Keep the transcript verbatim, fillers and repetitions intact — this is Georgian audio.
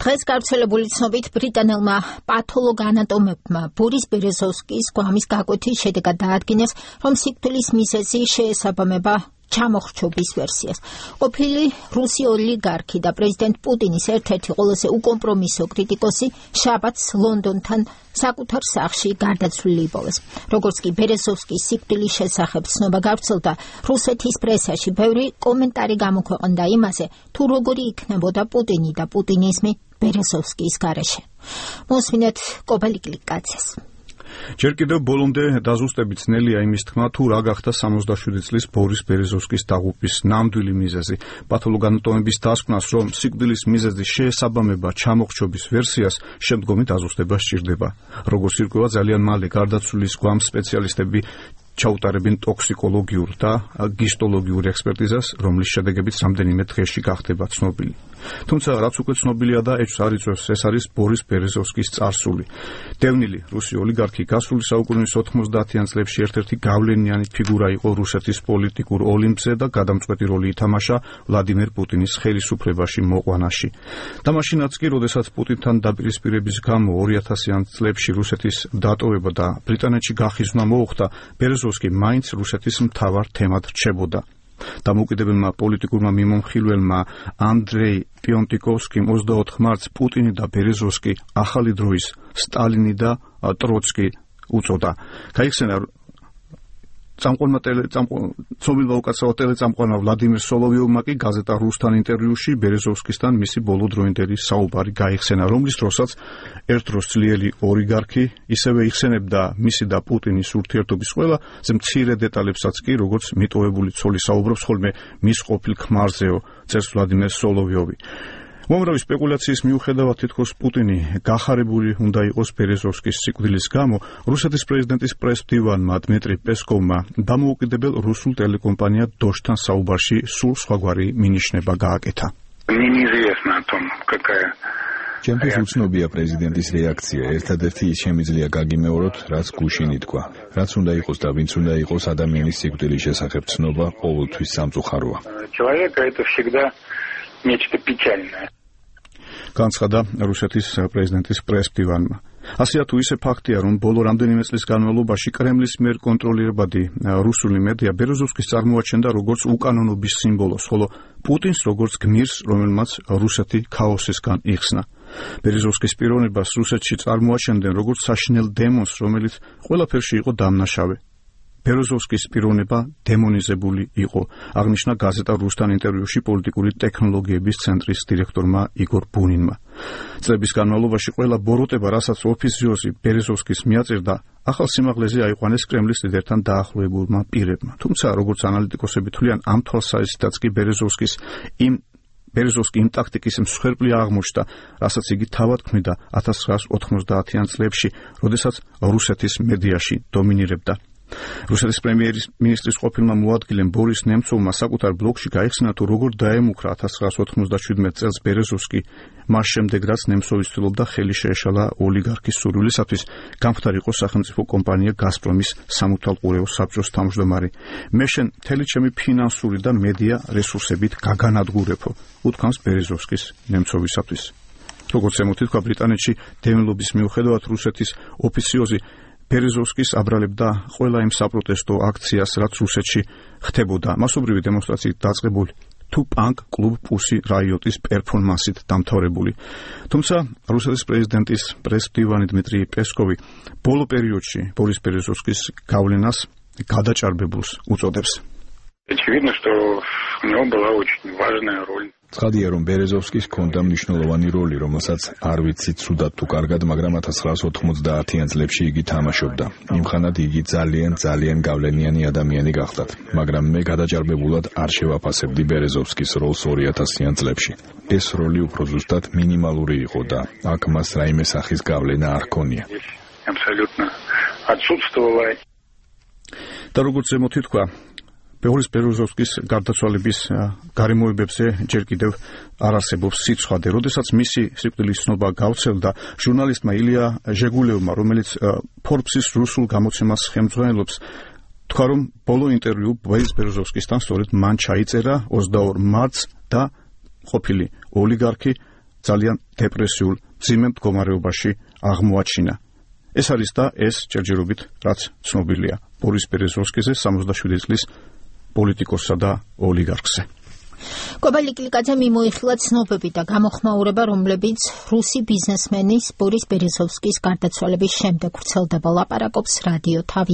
დღეს გავრცელებული ცნობით ბრიტანელმა პათოლოგ-ანატომებმა ბორის ბერეზოვსკის გვამის გაკვეთის შედეგად დაადგინეს, რომ სიკვდილის მიზეზი შეესაბამება ჩამოხრჩობის ვერსიას. ყოფილი რუსი ოლიგარქი და პრეზიდენტ პუტინის ერთ-ერთი ყველაზე უკომპრომისო კრიტიკოსი შაბათს ლონდონთან საკუთარ სახლში გარდაცვლილი იპოვეს. როგორც კი ბერეზოვსკის სიკვდილის შესახებ ცნობა გავრცელდა, რუსეთის პრესაში ბევრი კომენტარი გამოქვეყნდა იმაზე, თუ როგორი იქნებოდა პუტინი და პუტინიზმი ბერეზოვსკის გარეშე. მოსმინეთ კობალიკლიკაცეს. ჯერ კიდევ ბოლომდე დაზუსტებით ძნელია იმის თქმა, თუ რა გახდა სამოცდაშვიდი წლის ბორის ბერეზოვსკის დაღუპვის ნამდვილი მიზეზი. პათოლოგ-ანატომების დასკვნას, რომ სიკვდილის მიზეზი შეესაბამება ჩამოხრჩობის ვერსიას, შემდგომი დაზუსტება სჭირდება. როგორც ირკვევა, ძალიან მალე გარდაცვლილის გვამს სპეციალისტები ჩაუტარებენ ტოქსიკოლოგიურ და გისტოლოგიურ ექსპერტიზას, რომლის შედეგებიც რამდენიმე დღეში გახდება ცნობილი. თუმცა რაც უკვე ცნობილია და ეჭვს არ იწვევს, ეს არის ბორის ბერეზოვსკის წარსული. დევნილი რუსი ოლიგარქი გასული საუკუნის ოთხმოცდაათიან წლებში ერთ-ერთი გავლენიანი ფიგურა იყო რუსეთის პოლიტიკურ ოლიმპზე და გადამწყვეტი როლი ითამაშა ვლადიმერ პუტინის ხელისუფლებაში მოყვანაში. და მაშინაც კი, როდესაც პუტინთან დაპირისპირების გამო ორი ათასიან წლებში რუსეთის დატოვება და ბრიტანეთში გახიზნა მოუხდა, ბერეზოვსკი მაინც რუსეთის მთავარ თემად რჩებოდა. დამოუკიდებელმა პოლიტიკურმა მიმომხილველმა ანდრეი პიონტიკოვსკიმ ოცდაოთხ მარტს პუტინი და ბერეზოვსკი ახალი დროის სტალინი და ტროცკი უწოდა. გაიხსენა წამყვანმა ცნობილმა უკაცრავად ტელეწამყვანმა ვლადიმერ სოლოვიოვმა კი გაზეტა რუსთან ინტერვიუში ბერეზოვსკისთან მისი ბოლო დროინდელი საუბარი გაიხსენა, რომლის დროსაც ერთ დროს ძლიერი ოლიგარქი ისევე იხსენებდა მისი და პუტინის ურთიერთობის ყველა მცირე დეტალებსაც კი, როგორც მიტოვებული ცოლი საუბრობს ხოლმე მის ყოფილ ქმარზეო, წერს ვლადიმერ სოლოვიოვი. უამრავი სპეკულაციის მიუხედავად თითქოს პუტინი გახარებული უნდა იყოს ბერეზოვსკის სიკვდილის გამო, რუსეთის პრეზიდენტის პრეს-მდივანმა დმიტრი პესკოვმა დამოუკიდებელ რუსულ ტელეკომპანია დოშთან საუბარში სულ სხვაგვარი მინიშნება გააკეთა. ჩემთვის უცნობია პრეზიდენტის რეაქცია. ერთადერთი ის შემიძლია გაგიმეოროთ, რაც გუშინ ითქვა. რაც უნდა იყოს და ვინც უნდა იყოს ადამიანის სიკვდილის შესახებ ცნობა ყოველთვის სამწუხაროა. Нечто печальное. განცხადა რუსეთის პრეზიდენტის პრეს-მდივანმა. ასეა თუ ისე ფაქტია, რომ ბოლო რამდენიმე წლის განმავლობაში კრემლის მიერ კონტროლირებადი რუსული მედია ბერეზოვსკის წარმოაჩენდა როგორც უკანონობის სიმბოლოს, ხოლო პუტინს როგორც გმირს, რომელმაც რუსეთი ქაოსისგან იხსნა. ბერეზოვსკის პიროვნებას რუსეთში წარმოაჩენდნენ როგორც საშინელ დემონს, რომელიც ყველაფერში იყო დამნაშავე. ბერეზოვსკის პიროვნება დემონიზებული იყო, აღნიშნა გაზეტა რუსთან ინტერვიუში პოლიტიკური ტექნოლოგიების ცენტრის დირექტორმა იგორ ბუნინმა. წლების განმავლობაში ყველა ბოროტება, რასაც ოფიციოზი ბერეზოვსკის მიაწირდა, ახალ სიმაღლეზე აიყვანეს კრემლის ლიდერთან დაახლოებულმა პირებმა. თუმცა, როგორც ანალიტიკოსები თვლიან, ამ თვალსაზრისითაც კი ბერეზოვსკის იმ ბერეზოვსკი იმ ტაქტიკის მსხვერპლი აღმოჩნდა, რასაც იგი თავად ქმნიდა ათას ცხრაას ოთხმოცდაათიან წლებში, როდესაც რუსეთის მედიაში დომინირებდა. რუსეთის პრემიერ-მინისტრის ყოფილმა მოადგილემ ბორის ნემცოვმა საკუთარ ბლოგში გაიხსნა, თუ როგორ დაემუქრა ათას ცხრაას ოთხმოცდაშვიდმეტ წელს ბერეზოვსკი, მას შემდეგ რაც ნემცოვი ცდილობდა ხელი შეეშალა ოლიგარქის სურვილისათვის გამხდარიყო სახელმწიფო კომპანია გაზპრომის სამართალყურეო საბჭოს თავმჯდომარე. მე შენ მთელი ჩემი ფინანსური და მედია რესურსებით გაგანადგურებო, უთქვამს ბერეზოვსკის ნემცოვისათვის. როგორც ემოთითქვა ბრიტანეთში დევნილობის მიუხედავად რუსეთის ოფიციოზი ბერეზოვსკის აბრალებდა ყველა იმ საპროტესტო აქციას, რაც რუსეთში ხდებოდა, მასობრივი დემონსტრაციით დაწყებული თუ პანკ კლუბ პუსი რაიოტის პერფორმანსით დამთავრებული. თუმცა რუსეთის პრეზიდენტის პრეს-მდივანი დმიტრი პესკოვი ბოლო პერიოდში ბორის ბერეზოვსკის გავლენას გადაჭარბებულს უწოდებს. Очевидно, что у него была очень важная роль. ცხადია, რომ ბერეზოვსკის ჰქონდა მნიშვნელოვანი როლი, რომელსაც არ ვიცით ცუდად თუ კარგად, მაგრამ ათას ცხრაას ოთხმოცდაათიან წლებში იგი თამაშობდა. იმხანად იგი ძალიან ძალიან გავლენიანი ადამიანი გახდათ, მაგრამ მე გადაჭარბებულად არ შევაფასებდი ბერეზოვსკის როლს ორი ათასიან წლებში. ეს როლი უფრო ზუსტად მინიმალური იყო და აქ მას რაიმე სახის გავლენა არ ჰქონია. Абсолютно отсутствовала. და როგორც ემოთითქვა, ბორის ბერეზოვსკის გარდაცვალების გარემოებებზე ჯერ კიდევ არ არსებობს სიცხადე. როდესაც მისი სიკვდილის ცნობა გავრცელდა, ჟურნალისტმა ილია ჟეგულევმა, რომელიც Forbes-ის რუსულ გამოცემას ხელმძღვანელობს, თქვა, რომ ბოლო ინტერვიუ ბორის ბერეზოვსკისთან სწორედ მან ჩაიწერა ოცდაორ მარტს და ყოფილი ოლიგარქი ძალიან დეპრესიულ, მძიმე მდგომარეობაში აღმოაჩინა. ეს არის და ეს ჯერჯერობით რაც ცნობილია ბორის ბერეზოვსკიზე, სამოცდაშვიდი წლის პოლიტიკოსსა და ოლიგარქზე. კობალი კლიკაძე მიმოიხილა ცნობები და გამოხმაურება, რომლებიც რუსი ბიზნესმენის ბორის ბერეზოვსკის გარდაცვალების შემდეგ ვრცელდება. ლაპარაკობს რადიო თავის